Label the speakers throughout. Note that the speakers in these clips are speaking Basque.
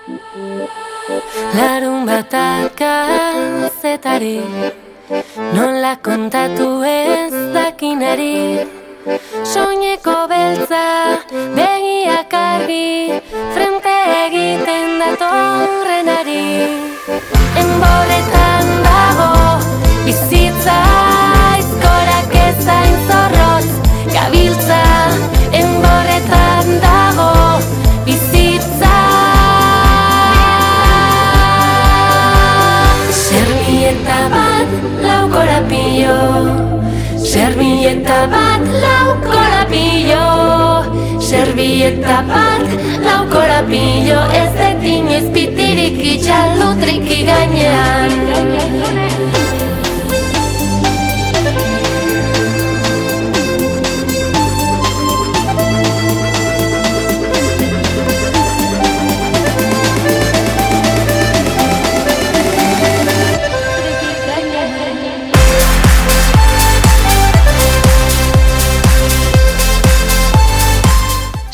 Speaker 1: Larun batak kazetari, nola kontatu ez dakinari. Soineko beltza, begiak argi, frente egiten datorrenari. Enborretan dago, bizitza, aizkorak ezain zorrotz, gabiltza. Enborretan dago, bizitza. Servieta bat, lau korapillo. Servieta bat, lau korapillo. Servieta bat, lau korapillo. Ez dut inoiz pitirik itxaldutriki gainean.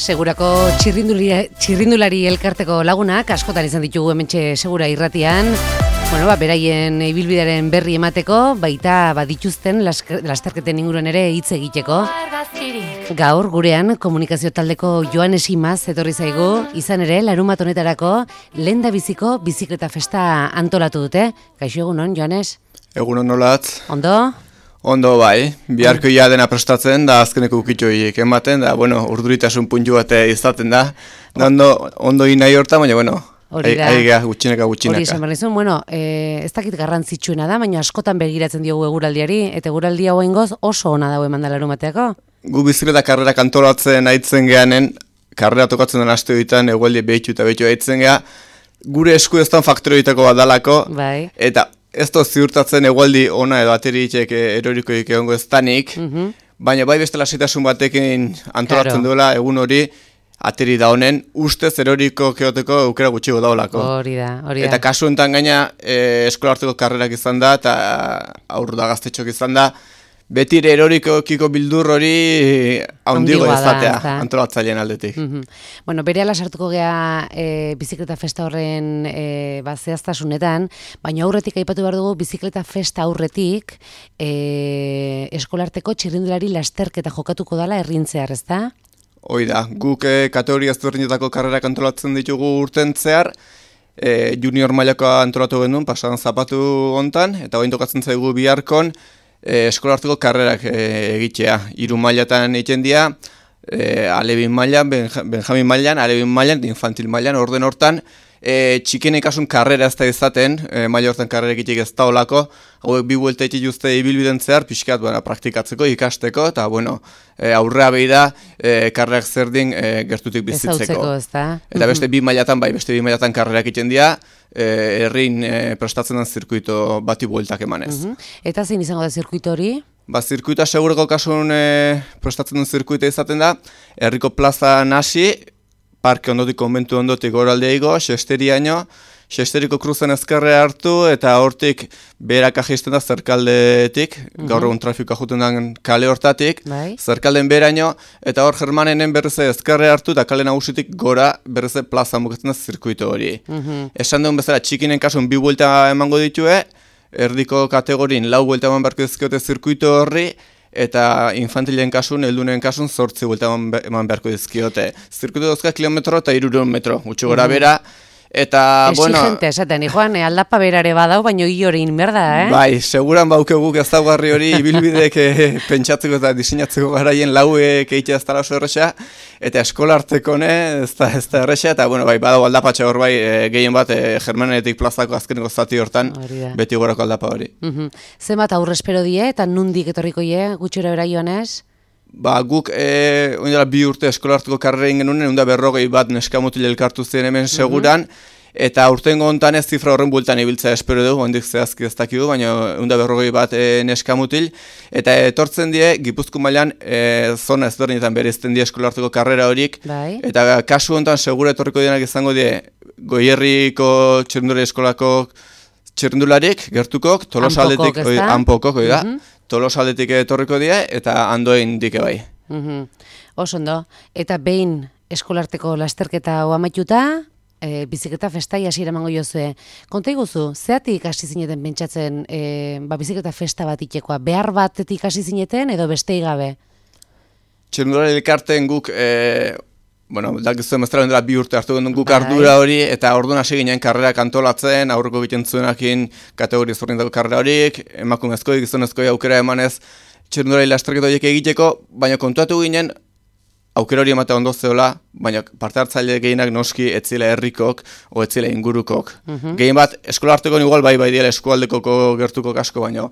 Speaker 2: Segurako txirrindulari elkarteko lagunak askotan izan ditugu hementxe Segura irratian. Beraien ibilbidearen berri emateko, baita dituzten lasterketen inguruan ere hitz egiteko. Gaur gurean komunikazio taldeko Joanes Imaz etorri zaigu, izan ere larunbat honetarako lehendabiziko bizikleta festa antolatu dute. Kaixo, egunon, Joanes?
Speaker 3: Egunon nolatz.
Speaker 2: Ondo?
Speaker 3: Ondo bai, biharko ia dena prestatzen da azkeneko ukitxoiek ematen da, urduritasun puntu bat izaten da. Ondo nahi hortan, baina, aigea gutxinaka.
Speaker 2: Hori esan behar nizun, ez dakit garrantzitsuena da, baina askotan begiratzen diogu eguraldiari, eta eguraldi hau ingoz oso ona dago eman da larumateako.
Speaker 3: Gu bizikleta karrera antolatzen aitzen geanen, karrera tokatzen den aste ditan, egualdi behitu eta behitu aitzen gea, gure esku eztan faktorioitako bat dalako,
Speaker 2: bai.
Speaker 3: Eta ez da ziurtatzen egualdi ona edo ateriitek erorikoik egongo ez danik, baina bai beste lasitasun batekin antolatzen duela egun hori ateri da honen, ustez eroriko keoteko aukera gutxigo daolako.
Speaker 2: Hori da.
Speaker 3: Eta kasu enten gaina eskolarteko karrerak izan da eta aurru da gaztetxok izan da, beti erorikokiko bildur hori handigo izatea antolatzaileen aldetik.
Speaker 2: Berehala sartuko gea bizikleta festa horren zehaztasunetan, baina aurretik aipatu behar dugu bizikleta festa aurretik eskolarteko txirrindulari lasterketa jokatuko dala errintzear, ez da?
Speaker 3: Hoi da, guk kategoria ezberdinetako karrerak antolatzen ditugu urten zehar, junior mailako antolatu genuen, pasan zapatu hontan, eta bain tokatzen zaigu biharkon, eskolarteko karrerak egitea. 3 mailatan egiten dira, alebin mailan, benjamin mailan, alebin mailan, infantil mailan, orden hortan, txikien ikasun karrera ez da izaten, maila hortan karrera egitek ez da olako, hauek 2 buelta egite juzte ibilbiden zehar, pixkat praktikatzeko, ikasteko, eta aurrea behi da, karrerak zerdin gertutik bizitzeko. Eta beste 2 mailatan, beste 2 mailatan karrerak egiten dira, herrin prestatzen den zirkuito bati bueltak emanez.
Speaker 2: Eta zein izango da zirkuito hori?
Speaker 3: Zirkuitoa segureko kasun prestatzen den zirkuita izaten da, herriko plaza nasi, parke ondotik, konbentu ondotik goraldea igo, Xesteriaino, Xesteriko kruzen ezkerre hartu, eta hortik berak ajisten da zerkaldetik, gaur egun trafikoa juten den kale hortatik, zerkalden beraino, eta hor Germanenen berreze ezkerre hartu, eta kale nagusitik gora berreze plaza mugatzen da zirkuito hori. Esan duen bezala, txikinen kasun 2 buelta emango ditue, erdiko kategorin 4 buelta eman beharko dizkiote zirkuito horri, eta infantilen kasun, heldunen kasun 8 buelta eman beharko dizkiote. Zirkuito dozka kilometro eta 300 metro, gutxi gora bera, eta,
Speaker 2: exigente, esaten, Juan, aldapa berare badau, baino hori inberda,
Speaker 3: Bai, seguran baukeguk ez daugarri hori, ibilbidek pentsatzeko eta diseinatzeko garaien lauek egitea ez dara oso erresa, eta eskolarteko ez da erresa, eta, bai, badau aldapatxe hor bai, gehien bat, Germanetik plazako azkeneko zati hortan, beti gorako aldapa hori.
Speaker 2: Zenbat aurre espero die, eta nundik etorriko gutxora bera Joanes?
Speaker 3: Guk, oindela 2 urte eskolarteko karrera genuen, 140 bat neskamutil elkartu ziren hemen seguran, eta urtengo hontan ez zifra horren bueltan ibiltzea espero dugu, ondik zehazki ez dakigu, baina 140 bat neskamutil, eta etortzen die, Gipuzko mailan zona ezberdinetan bereizten die eskolarteko karrera horik, eta kasu hontan segura etorriko dienak izango die, Goierriko txirrindulari eskolako txirrindularik, gertukok, Tolosaldetik, Anpokok, Tolosaldetik etorriko die, eta Andoain dike bai.
Speaker 2: Oso ondo, eta behin eskolarteko lasterketa hau amaituta, bizikleta festai hasiera emango jozue. Konta iguzu, zeatik hasi zineten pentsatzen bizikleta festa bat itekoa? Behar batetik hasi zineten edo bestei gabe?
Speaker 3: Txirrindulari elkarteen guk, dakizu emeztara dela 2 urte hartu gendun guk ardura hori, eta orduan hasi ginen karrerak antolatzen, aurreko egiten zuenakin kategoria ezberdinetako karrera horiek, emakumezkoi, gizonezkoi aukera emanez txirrindulari lasterketa horiek egiteko, baina kontuatu ginen, aukera hori ematea ondo zeola, baina parte hartzaile gehienak noski etzile herrikok o etzile ingurukok. Gehien bat, eskola harteko igual bai diela eskualdekoko gertuko asko, baina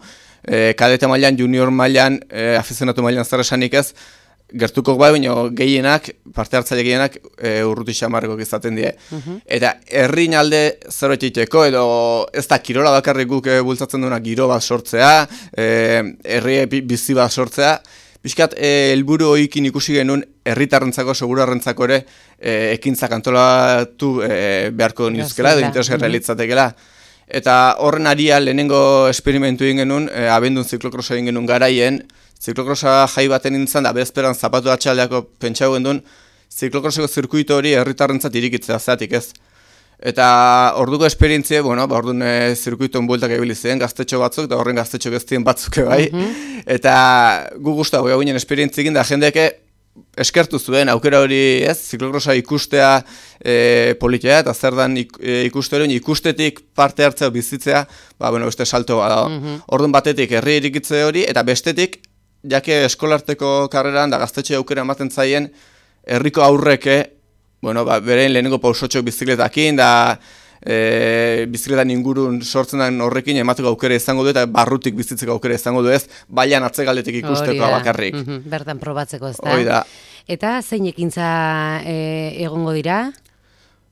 Speaker 3: kadete mailan, junior mailan, afizionatu mailan zer esanik ez, gertukok bai, baina gehienak, parte hartzaile gehienak urruti xamarrikok izaten die. Eta herrin alde zerbait egiteko, edo ez da kirola bakarrik guk bultzatzen duena giro bat sortzea, herri bizi bat sortzea, Piskat, helburu hoikin ikusi genuen herritarrentzako, segurarrentzako ere ekintzak antolatu beharko nizkela, edo interesgarria litzatekela. Eta horren aria lehenengo esperimentu egin genuen, abendun ziklokrosa egin genuen garaien, ziklokrosa jai baten nintzen, da bezperan zapatu atxaldeako pentsau genuen, ziklokroseko zirkuito hori herritarrentzat irikitzea zeatik ez. Eta orduko esperientzie, orduan zirkuitoen bueltak ebili ziren gaztetxo batzuk, eta horren gaztetxo geztien batzuk bai. Eta gu guztago ginen esperientziekin, da jendeke eskertu zuen aukera hori ez, ziklokrosa ikustea politia, eta zer dan ikuste hori, ikustetik parte hartzea bizitzea, beste salto bada. Orduan batetik herri irikitze hori, eta bestetik, jake eskolarteko karreran, da gaztetxo aukera ematen zaien, herriko aurreke, beren lehenengo pausotxok bizikletakin, da bizikletan ingurun sortzen den horrekin emateko aukera izango du, eta barrutik bizitzeko aukera izango du ez, baian atzegaldetik ikusteko bakarrik.
Speaker 2: Bertan probatzeko ez da.
Speaker 3: Hori da.
Speaker 2: Eta zein ekintza egongo dira?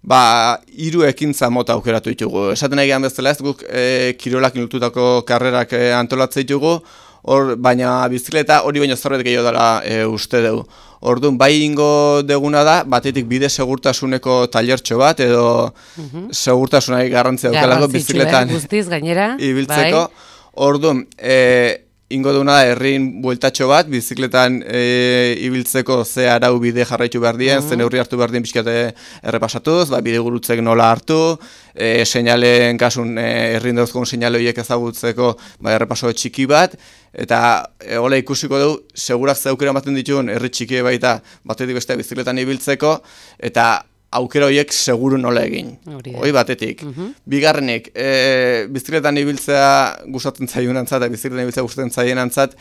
Speaker 3: 3 ekintza mota aukeratu ditugu. Esaten nahi gehan bezala ez, guk kirolak inultutako karrerak antolatzen ditugu, baina bizikleta hori baino zerbait gehiago dela uste dugu. Orduan, bai ingo deguna da, batetik bide segurtasuneko tailertxo bat, edo segurtasunari garrantzia daukalako bizikletan
Speaker 2: guztiz gainera
Speaker 3: ibiltzeko. Orduan, ingo duguna da herrin bueltatxo bat, bizikletan ibiltzeko ze arau bide jarraitu behar dien, ze neurri hartu behar dien pixkate errepasatuz, bide gurutzek nola hartu, seinalen kasun herrin dauzkon seinale horiek ezagutzeko errepaso txiki bat, eta hola ikusiko dugu, segurak ze aukera ematen dituen herri txiki baita batetik beste bizikletan ibiltzeko, eta aukera horiek seguru nola egin. Hoi batetik. Bigarrenik, bizikletan ibiltzea gustatzen zaionantzat, eta bizikletan ibiltzea gustatzen zaionantzat,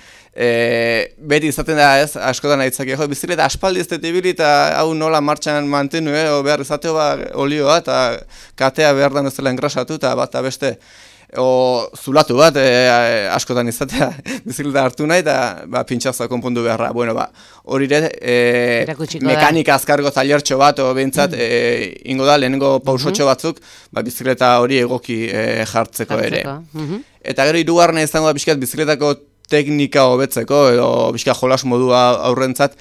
Speaker 3: beti izaten da ez, askotan aitzak jo, bizikleta aspaldi ez dut ibili eta hau nola martxan mantenu, behar izateo olioa, eta katea behar da bezala engrasatu, eta bat beste, zulatu bat, askotan izatea bizikleta hartu nahi, eta pintxazoa konpondu beharra. Hori ere, mekanika azkargo tailertxo bat, behintzat, ingo da, lehenengo pausotxo batzuk, bizikleta hori egoki jartzeko ere. Eta gero hirugarrena izango da biziklet bizikletako teknika hobetzeko, edo bizka jolas modua aurrentzat,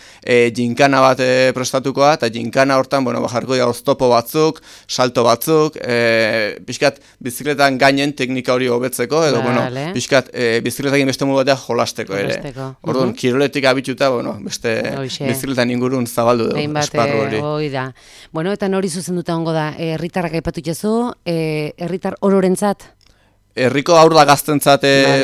Speaker 3: jinkana bat prestatukoa, eta jinkana hortan, jarriko dira oztopo batzuk, salto batzuk, bizkat bizikletan gainen teknika hori hobetzeko, edo, bizkat bizikletakin beste modu batea jolasteko ere. Orduan, kiroletik abituta, beste bizikletan ingurun zabaldu dugu, esparru hori.
Speaker 2: Da. Eta nori zuzenduta ongo da, herritarrak aipatu itxezu, herritar ororentzat?
Speaker 3: Herriko aurra gaztentzat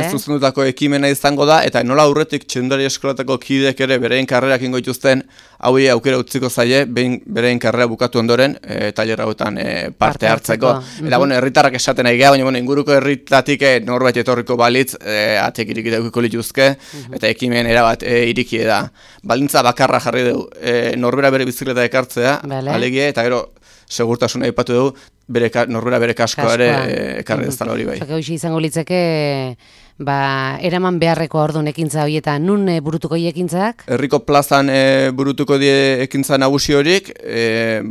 Speaker 3: zuzendutako ekimena izango da, eta nola aurretik txirrindulari eskolatako kidek ere berein karrerak ingo dituzten, hauei aukera utziko zaie, berein karrera bukatu ondoren, tailer hauetan parte hartzeko. Eta herritarrak esaten nahi geha, baina inguruko herritatik norbait etorriko balitz, atek iriki daukiko lituzke, eta ekimen erabat iriki da. Balintza bakarra jarri dugu, norbera bere bizikleta ekartzea, alegie, eta gero segurtasuna aipatu dugu, norbera bere kaskoa ere ekarri ez dala hori bai.
Speaker 2: Hoxe izango litzeke, eraman beharreko orduan ekintza horietan, nun burutuko ekintzak?
Speaker 3: Herriko plazan burutuko die ekintza nagusi horik,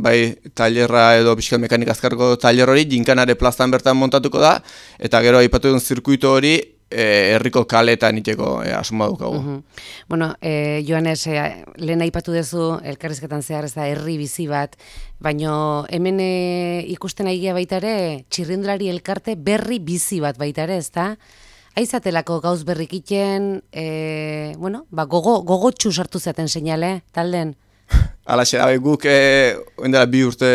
Speaker 3: bai tailerra edo pixkat mekanika azkarko tailer hori, jinkanare plazan bertan montatuko da, eta gero aipatu duen zirkuito hori, herriko kaletan iteko asmoa dukagu.
Speaker 2: Joanes, lehen aipatu duzu, elkarrizketan zehar ez da herri bizi bat, baina hemen ikusten aigia baita ere, txirrindulari elkarte berri bizi bat baita ere, ez da? Aizatelako gauz berrik iten, gogotxu sartu zaten seinale, talden?
Speaker 3: Alaxe, guk oindela 2 urte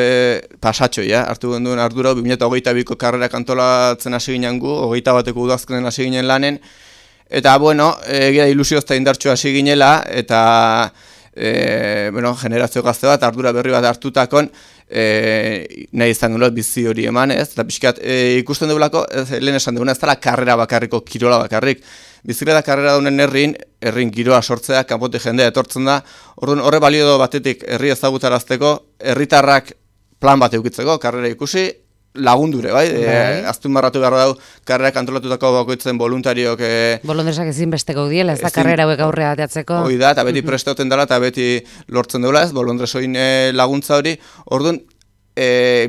Speaker 3: pasatxo, hartu genduen ardura, 2022ko karrerak antolatzen hasi ginen gu, 21ko udazkenen hasi ginen lanen, eta, bueno, egia ilusioz eta indartxo hasi ginela, eta, generazio gazte bat, ardura berri bat hartutakon, nahi izan dut bizi hori eman, ez? Eta pixkat, ikusten dugulako, lehen esan duguna, ez dela karrera bakarriko, kirola bakarrik. Bizikleta karrera daunen herrin giroa sortzea, kanpotik jendea etortzen da, orduan horre balio do batetik herri ezagutarazteko, herritarrak plan bat eukitzeko, karrera ikusi, lagundure, bai? Azpimarratu behar dau, karrerak antolatutako bakoitzen voluntariok...
Speaker 2: Bolondresak ezinbesteko diela, ez da karrera hauek aurrea ateatzeko.
Speaker 3: Hoi da, eta beti prestauten dela, eta beti lortzen duela, ez, bolondresoin laguntza hori, orduan,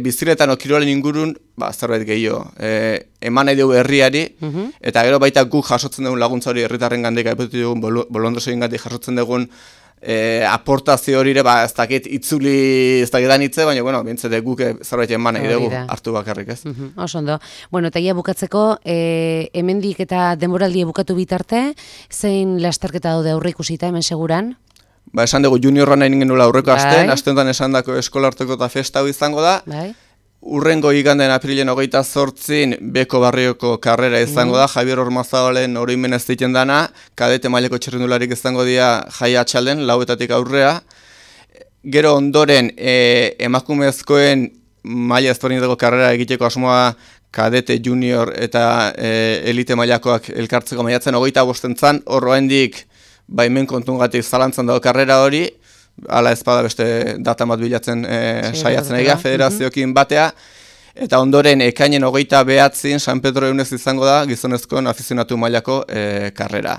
Speaker 3: bizikletan okirolen ingurun, zerbait gehiago, eman nahi dugu herriari, eta gero baita guk jasotzen dugun laguntza hori herritarren gandik, aipetu dugun bolondresoin gandik jasotzen dugun aportazio horire, ez dakit itzuli ez dakitan hitze, baina, bueno, bintzete guk zerbait eman nahi dugu hartu bakarrik, ez?
Speaker 2: Oso ondo. Bueno, eta ia bukatzeko, hemendik eta denboraldia bukatu bitarte, zein lasterketa daude aurre ikusita hemen seguran?
Speaker 3: Esan dugu juniorra nahi genuen aurreko astean esan dako eskolarteko eta festa hau izango da. Urrengo iganden aprilen 28 Beko barrioko karrera izango da, Javier Ormazabalen oroimen ez diken dana, kadete maileko txirrindularik izango dira Jai Atxalden, 4etatik aurrea. Gero ondoren emakumezkoen maila ezberdinetako karrera egiteko asmoa kadete junior eta elite mailakoak elkartzeko maiatzen 25 hor oraindik baimen kontungatik zalantzan dago karrera hori, ala ezpada beste data bat bilatzen saiatzen egia, federazioekin batea, eta ondoren ekainen 29 San Pedro eunez izango da, gizonezkoen afizionatu mailako karrera.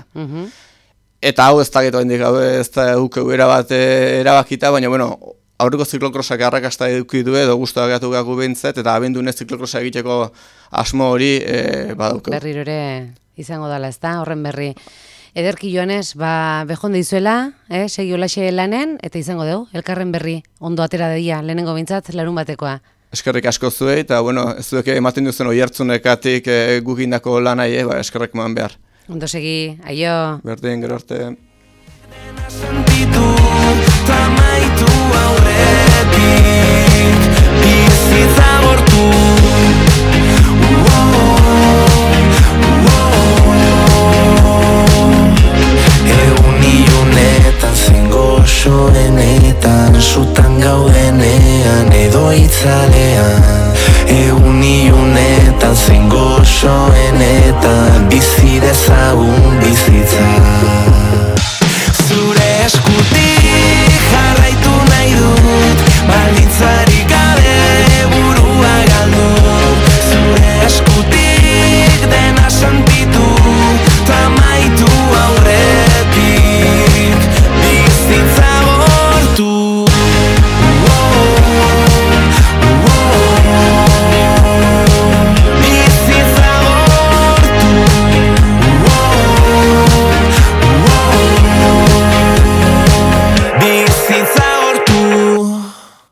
Speaker 3: Eta hau ez da geto hendik, hau ez da erabat erabakita, baina, bueno, aurreko ziklokrosak arrakasta eduki du edo guztua gehatu gaku behintzet, eta abendunez ziklokrosa egiteko asmo hori badauko.
Speaker 2: Berriro ere izango dela, ez da, horren berri. Ederki Joanes, behonde izuela, segi olaxe lanen, eta izango dugu, elkarren berri, ondo atera daia, lehenengo bintzat, larun batekoa.
Speaker 3: Eskerrik asko zuei, eta bueno, ez duek ematen duzen oihartzunekatik gukindako lanai, eskerrik eman behar.
Speaker 2: Ondo segi, aio.
Speaker 3: Berdin, gero arte.
Speaker 4: Soenetan, sutan gaudenean, edo itzalean Egun iunetan, zein gozoenetan, bizi dezagun bizitza